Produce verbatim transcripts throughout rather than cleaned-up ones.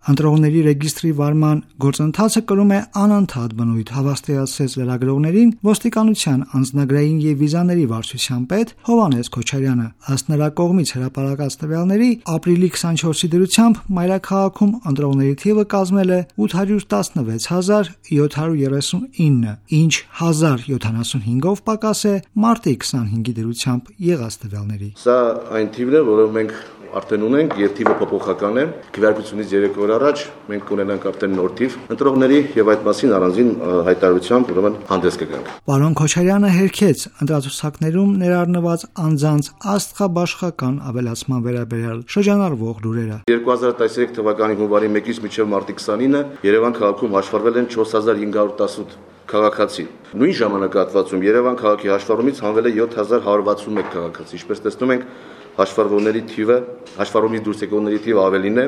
Ընտրողների ռեգիստրի վարման գործընթացը կրում է անընդհատ բնույթ, հավաստիացրեց լրագրողներին ոստիկանության անձնագրային եւ վիզաների վարչության պետ Հովհաննես Քոչարյանը։ Ըստ նրա կողմից հրապարակած տվյալների, ապրիլի քսանչորսի դրությամբ մայրաքաղաքում ընտրողների թիվը կազմել է ութ հարյուր տասնվեց հազար յոթ հարյուր երեսունինը, ինչ հազար յոթանասունհինգով պակաս է մարտի քսանհինգի դրությամբ եղած տվյալների։ Սա այն թիվն է, որը մենք արդեն ունենք եւ թիվը փոփոխական է։ Քվեարկությունից երեք օր առաջ մենք կունենանք արդեն նոր թիվ ընտրողների եւ այդ մասին առանձին հայտարարությամբ ուրեմն հանդես կգանք։ Պարոն Քոչարյանը հերքեց ընտրացուցակներում ներառնված անձանց աստղաբաշխական ավելացման վերաբերյալ շրջանառվող լուրերը։ երկու հազար տասնյոթ թվականի հունվարի մեկից մինչև մարտի քսանինը Երևան քաղաքում հաշվառվել են չորս հազար հինգ հարյուր տասնութ քաղաքացի։ Նույն ժամանակահատվածում Երևան քաղաքի հաշվառումից հանվել է յոթ հազար հարյուր վաթսունմեկ քաղաքացի։ Ինչպես տեսնում ենք, հաշվառվողների թիվը, հաշվառումից դուրս եկողների թիվը ավելին է,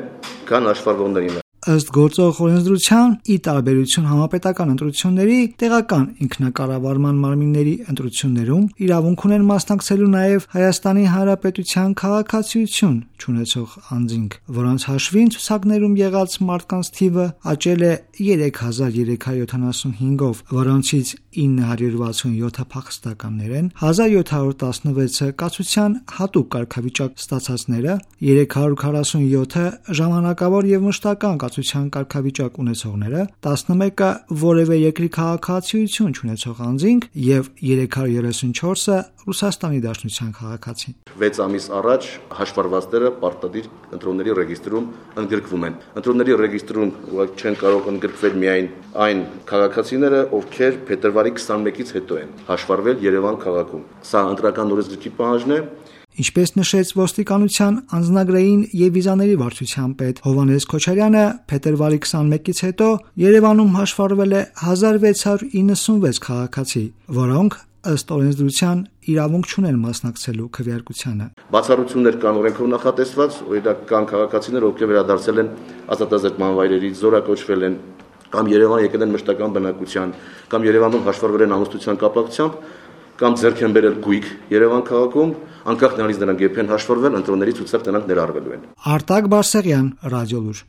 քան հաշվառվողներինը։ Ըստ գործող օրենսդրության, ի տարբերություն համապետական ընտրությունների, տեղական ինքնակառավարման մարմինների ընտրություններում իրավունք ունեն մասնակցելու նաև Հայաստանի Հանրապետության քաղաքացիություն չունեցող անձինք, որոնց հաշվին ցուցակներում եղած մարդկանց թիվը աճել է երեք հազար երեք հարյուր յոթանասունհինգով, որոնցից ինը հարյուր վաթսունյոթը փախստականներ են, հազար յոթ հարյուր տասնվեցը կացության հատուկ կարգավիճակ ստացածները, երեք հարյուր քառասունյոթը ժամանակավոր եւ մշտական կացության կարգավիճակ ունեցողները, տասնմեկը որևէ երկրի քաղաքացիություն չունեցող անձինք եւ երեք հարյուր երեսունչորսը Ռուսաստանի Դաշնության քաղաքացի։ վեց ամիս առաջ հաշվառվածները պարտադիր ընտրողների ռեգիստրում ընդգրկվում են։ Ընտրողների ռեգիստրում չեն կարող ընդգրկվել միայն այն քաղաքացիները, ովքեր փետրվարի քսանմեկից հետո են հաշվառվել Երևան քաղաքում։ Սա ընտրական օրենսգրքի պահանջն է։ Ինչպես նշեց ոստիկանության անձնագրային եւ վիզաների վարչության պետ Հովհաննես Քոչարյանը, փետրվարի քսանմեկից հետո Երևանում հաշվառվել է հազար վեց հարյուր իննսունվեց քաղաքացի, որոնք ըստ օրենսդրության իրավունք չունեն մասնակցելու քվեարկությանը։ Բացառություններ կան օրենքով նախատեսված, օրինակ կան քաղաքացիներ, ովքեր վերադարձել են ազատազրկման վայրերից, զորակոչվել են կամ Երևան եկել են մշտական բնակության, կամ Երևանում հաշվառվել են ամուսնության կապակցությամբ, կամ ձեռք են բերել գույք Երևան քաղաքում, անկախ նրանից նրանք երբ են հաշվառվել, ընտրողների ցուցակ նրանք ներառվելու են։ Արտակ Բարսեղյան, Ռադիոլուր։